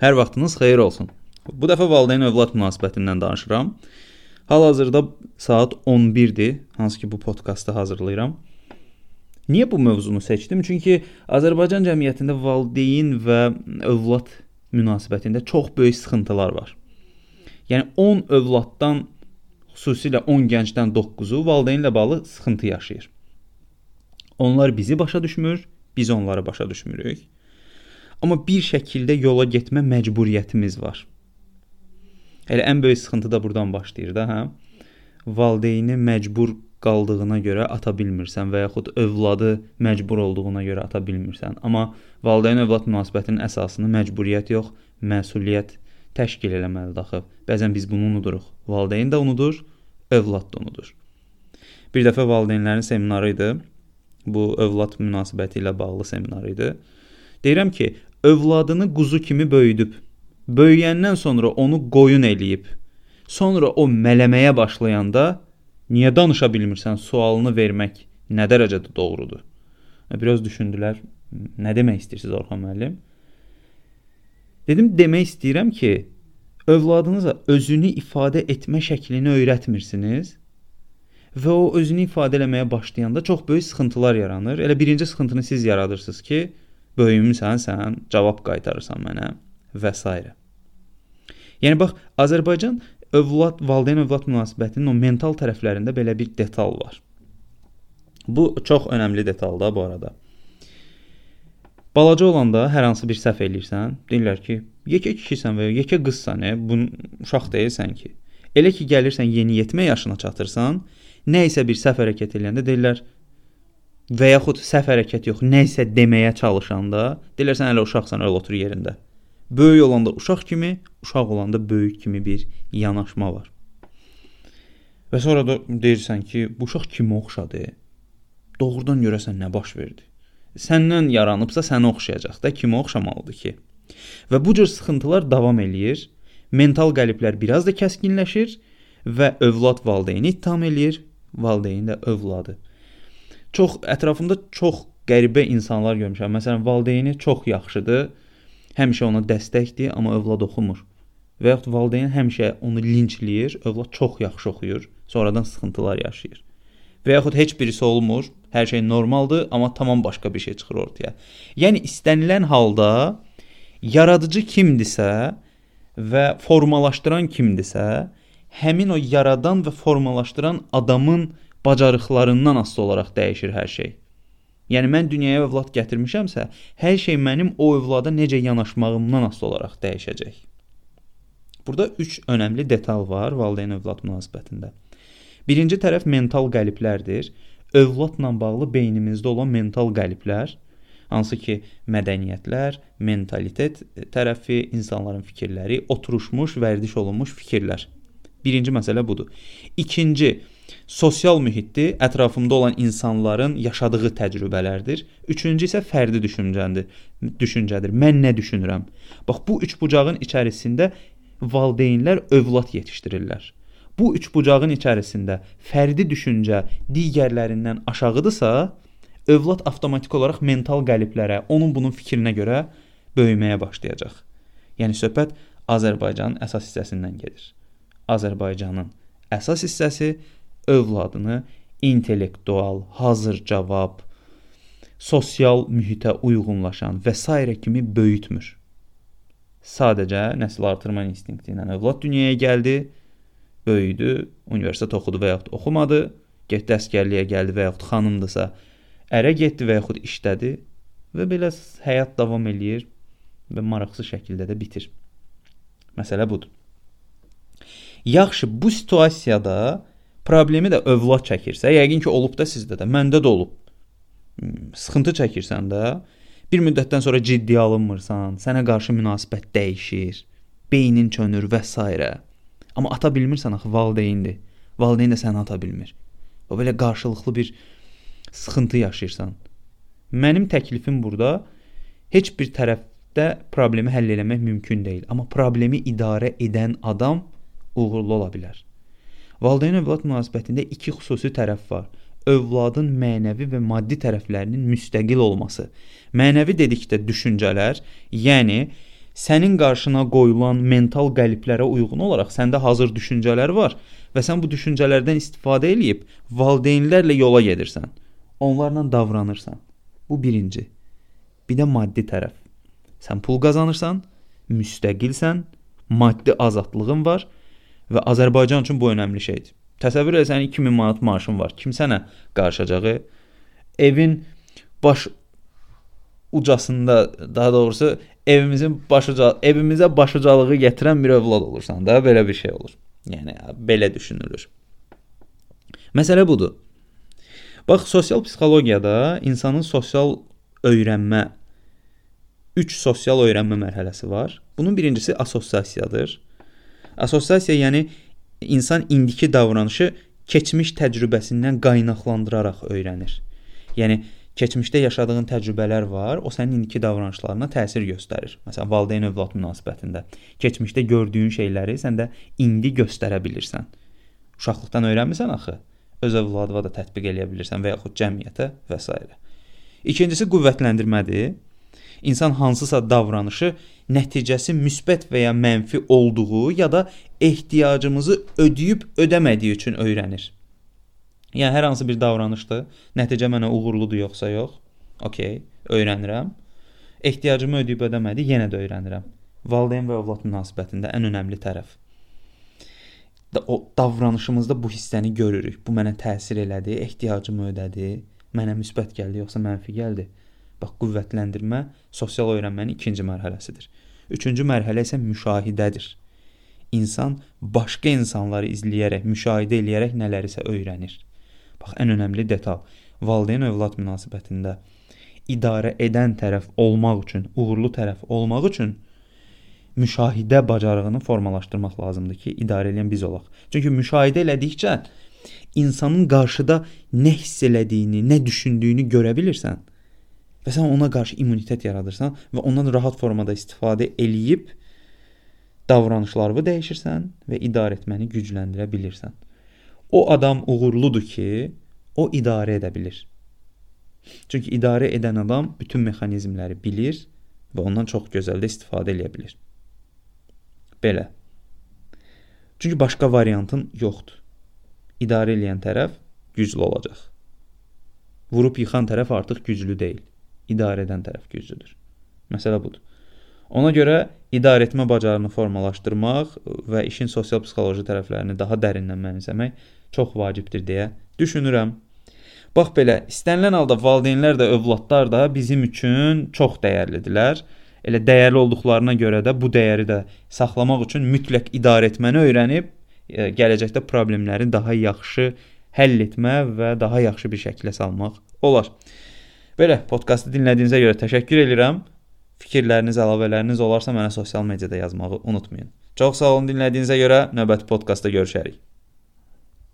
Hər vaxtınız xeyir olsun. Bu dəfə valideyn-övlad münasibətindən danışıram. Hal-hazırda saat 11-dir, hansı ki bu podkastı hazırlayıram. Niyə bu mövzunu seçdim? Çünki Azərbaycan cəmiyyətində valideyn və övlad münasibətində çox böyük sıxıntılar var. Yəni 10 övladdan, xüsusilə 10 gəncdən 9-u valideynlə bağlı sıxıntı yaşayır. Onlar bizi başa düşmür, biz onları başa düşmürük. Amma bir şəkildə yola getmə məcburiyyətimiz var. Elə ən böyük sıxıntı da buradan başlayır da, hə? Valideyni məcbur qaldığına görə ata bilmirsən və yaxud övladı məcbur olduğuna görə ata bilmirsən. Amma valideyn-övlad münasibətinin əsasını məcburiyyət yox, məsuliyyət təşkil eləməlidir axı. Bəzən biz bunu unuduruq. Valideyn də unudur, övlad da unudur. Bir dəfə valideynlərin seminarı idi. Bu övlad münasibəti ilə bağlı seminar idi. Deyirəm ki, övladını quzu kimi böyüdüb, böyüyəndən sonra onu qoyun eləyib, sonra o mələməyə başlayanda niyə danışa bilmirsən sualını vermək nə dərəcədə doğrudur? Biraz düşündülər, nə demək istəyirsiniz Orxan müəllim? Dedim, demək istəyirəm ki, övladınıza özünü ifadə etmə şəklini öyrətmirsiniz və o özünü ifadə eləməyə başlayanda çox böyük sıxıntılar yaranır. Elə birinci sıxıntını siz yaradırsınız ki, böyümüsən sən, cavab qaytarırsan mənə və s. Yəni bax, Azərbaycan valideyn-övlad münasibətinin o mental tərəflərində belə bir detal var. Bu çox önəmli detaldır bu arada. Balaca olanda hər hansı bir səhv eləyirsən, deyirlər ki, yekə kişisən və yekə qızsan, uşaq deyilsən ki. Elə ki, gəlirsən yeniyetmə yaşına çatırsan, nə isə bir səhv hərəkət eləyəndə deyirlər, və yaxud səhv hərəkət yox, nə isə deməyə çalışanda, deyirlər sən hələ uşaqsan, öyle otur yerində. Böyük olanda uşaq kimi, uşaq olanda böyük kimi bir yanaşma var. Və sonra da deyirsən ki, bu uşaq kimə oxşadı? Doğrudan görəsən nə baş verdi? Səndən yaranıbsa sənə oxşayacaq da, kimə oxşamalıdır ki? Və bu cür sıxıntılar davam eləyir, mental qəliblər biraz da kəskinləşir və övlad valideyni ittiham eləyir, valideyn də övladı. Ətrafımda çox qəribə insanlar görmüşəm. Məsələn, valideyni çox yaxşıdır, həmişə ona dəstəkdir, amma övlad oxumur. Və yaxud valideyn həmişə onu linçləyir, övlad çox yaxşı oxuyur, sonradan sıxıntılar yaşayır. Və yaxud heç birisi olmur, hər şey normaldır, amma tamam başqa bir şey çıxır ortaya. Yəni, istənilən halda yaradıcı kimdirsə və formalaşdıran kimdirsə, həmin o yaradan və formalaşdıran adamın bacarıqlarından asılı olaraq dəyişir hər şey. Yəni, mən dünyaya övlad gətirmişəmsə, hər şey mənim o övlada necə yanaşmağımdan asılı olaraq dəyişəcək. Burada 3 önəmli detal var valideyn-övlad münasibətində. Birinci tərəf mental qəliblərdir. Övladla bağlı beynimizdə olan mental qəliblər, hansı ki, mədəniyyətlər, mentalitet tərəfi, insanların fikirləri, oturuşmuş, vərdiş olunmuş fikirlər. Birinci məsələ budur. İkinci, sosial mühitdir, ətrafımda olan insanların yaşadığı təcrübələrdir. Üçüncü isə fərdi düşüncədir. Mən nə düşünürəm? Bax, bu üç bucağın içərisində valideynlər övlad yetişdirirlər. Bu üç bucağın içərisində fərdi düşüncə digərlərindən aşağıdırsa, övlad avtomatik olaraq mental qəliblərə, onun bunun fikrinə görə böyüməyə başlayacaq. Yəni, söhbət Azərbaycanın əsas hissəsindən gedir. Azərbaycanın əsas hissəsi övladını intellektual, hazır cavab, sosial mühitə uyğunlaşan və s. kimi böyütmür. Sadəcə nəsil artırma instinkti ilə övlad dünyaya gəldi, böyüdü, universitet oxudu və yaxud oxumadı, getdi əsgərliyə gəldi və yaxud xanımdırsa, ərə getdi və yaxud işlədi və belə həyat davam eləyir və maraqsız şəkildə də bitir. Məsələ budur. Yaxşı, bu situasiyada problemi də övlad çəkirsə, yəqin ki, olub da sizdə də, məndə də olub. Sıxıntı çəkirsən də, bir müddətdən sonra ciddi alınmırsan, sənə qarşı münasibət dəyişir, beynin çönür və s. Amma ata bilmirsən, axı, valideyndir. Valideyn də səni ata bilmir. O belə qarşılıqlı bir sıxıntı yaşayırsan. Mənim təklifim burada, heç bir tərəfdə problemi həll eləmək mümkün deyil. Amma problemi idarə edən adam uğurlu ola bilər. Valideyn-övlad münasibətində iki xüsusi tərəf var. Övladın mənəvi və maddi tərəflərinin müstəqil olması. Mənəvi dedikdə düşüncələr, yəni sənin qarşına qoyulan mental qəliblərə uyğun olaraq səndə hazır düşüncələr var və sən bu düşüncələrdən istifadə edib valideynlərlə yola gedirsən. Onlarla davranırsan. Bu birinci. Bir də maddi tərəf. Sən pul qazanırsan, müstəqilsən, maddi azadlığın var və Azərbaycan üçün bu önəmli şeydir. Təsəvvür et, sənin 2000 manat maaşın var. Kim sənə qarışacağı? Evin baş ucasında, daha doğrusu evimizə başucalığı gətirən bir övlad olursan da, belə bir şey olur. Yəni belə düşünülür. Məsələ budur. Bax, sosial psixologiyada insanın sosial öyrənmə 3 sosial öyrənmə mərhələsi var. Bunun birincisi assosiasiyadır. Assosiasiya yəni insan indiki davranışı keçmiş təcrübəsindən qaynaqlandıraraq öyrənir. Yəni keçmişdə yaşadığın təcrübələr var, o sənin indiki davranışlarına təsir göstərir. Məsələn, valideyn-övlad münasibətində keçmişdə gördüyün şeyləri sən də indi göstərə bilirsən. Uşaqlıqdan öyrənmirsən axı. Öz övladına da tətbiq eləyə bilirsən və yaxud cəmiyyətə və s. İkincisi qüvvətləndirmədir. İnsan hansısa davranışı nəticəsi müsbət və ya mənfi olduğu ya da ehtiyacımızı ödəyib ödəmədiyi üçün öyrənir. Yəni hər hansı bir davranışdır. Nəticə mənə uğurludur yoxsa yox? Okay, öyrənirəm. Ehtiyacımı ödəyib ödəmədi, yenə də öyrənirəm. Valideyn və övlad münasibətində ən önəmli tərəf. O davranışımızda bu hissəni görürük. Bu mənə təsir elədi, ehtiyacımı ödədi, mənə müsbət gəldi yoxsa mənfi gəldi. Bax, qüvvətləndirmə sosial öyrənmənin ikinci mərhələsidir. Üçüncü mərhələ isə müşahidədir. İnsan başqa insanları izləyərək, müşahidə eləyərək nələrisə öyrənir. Bax, ən önəmli detal. Valideyn-övlad münasibətində idarə edən tərəf olmaq üçün, uğurlu tərəf olmaq üçün müşahidə bacarığını formalaşdırmaq lazımdır ki, idarə edən biz olaq. Çünki müşahidə elədikcə insanın qarşıda nə hiss elədiyini, nə düşündüyünü görə bilirsən və sən ona qarşı immunitet yaradırsan və ondan rahat formada istifadə eləyib davranışlarını dəyişirsən və idarə etməni gücləndirə bilirsən. O adam uğurludur ki, o idarə edə bilir. Çünki idarə edən adam bütün mexanizmləri bilir və ondan çox gözəl də istifadə edə bilir. Belə. Çünki başqa variantın yoxdur. İdarə edən tərəf güclü olacaq. Vurub yıxan tərəf artıq güclü deyil. İdarə edən tərəf güclüdür. Məsələ budur. Ona görə idarə etmə bacarığını formalaşdırmaq və işin sosial psixoloji tərəflərini daha dərindən mənimsəmək çox vacibdir deyə düşünürəm. Bax belə, istənilən halda valideynlər də, övladlar da bizim üçün çox dəyərlidirlər. Elə dəyərli olduqlarına görə də bu dəyəri də saxlamaq üçün mütləq idarə etməni öyrənib, gələcəkdə problemləri daha yaxşı həll etmə və daha yaxşı bir şəklə salmaq olar. Belə, podkastı dinlədiyinizə görə təşəkkür edirəm. Fikirləriniz, əlavələriniz olarsa mənə sosial mediada yazmağı unutmayın. Çox sağ olun dinlədiyinizə görə. Növbəti podkastda görüşərik.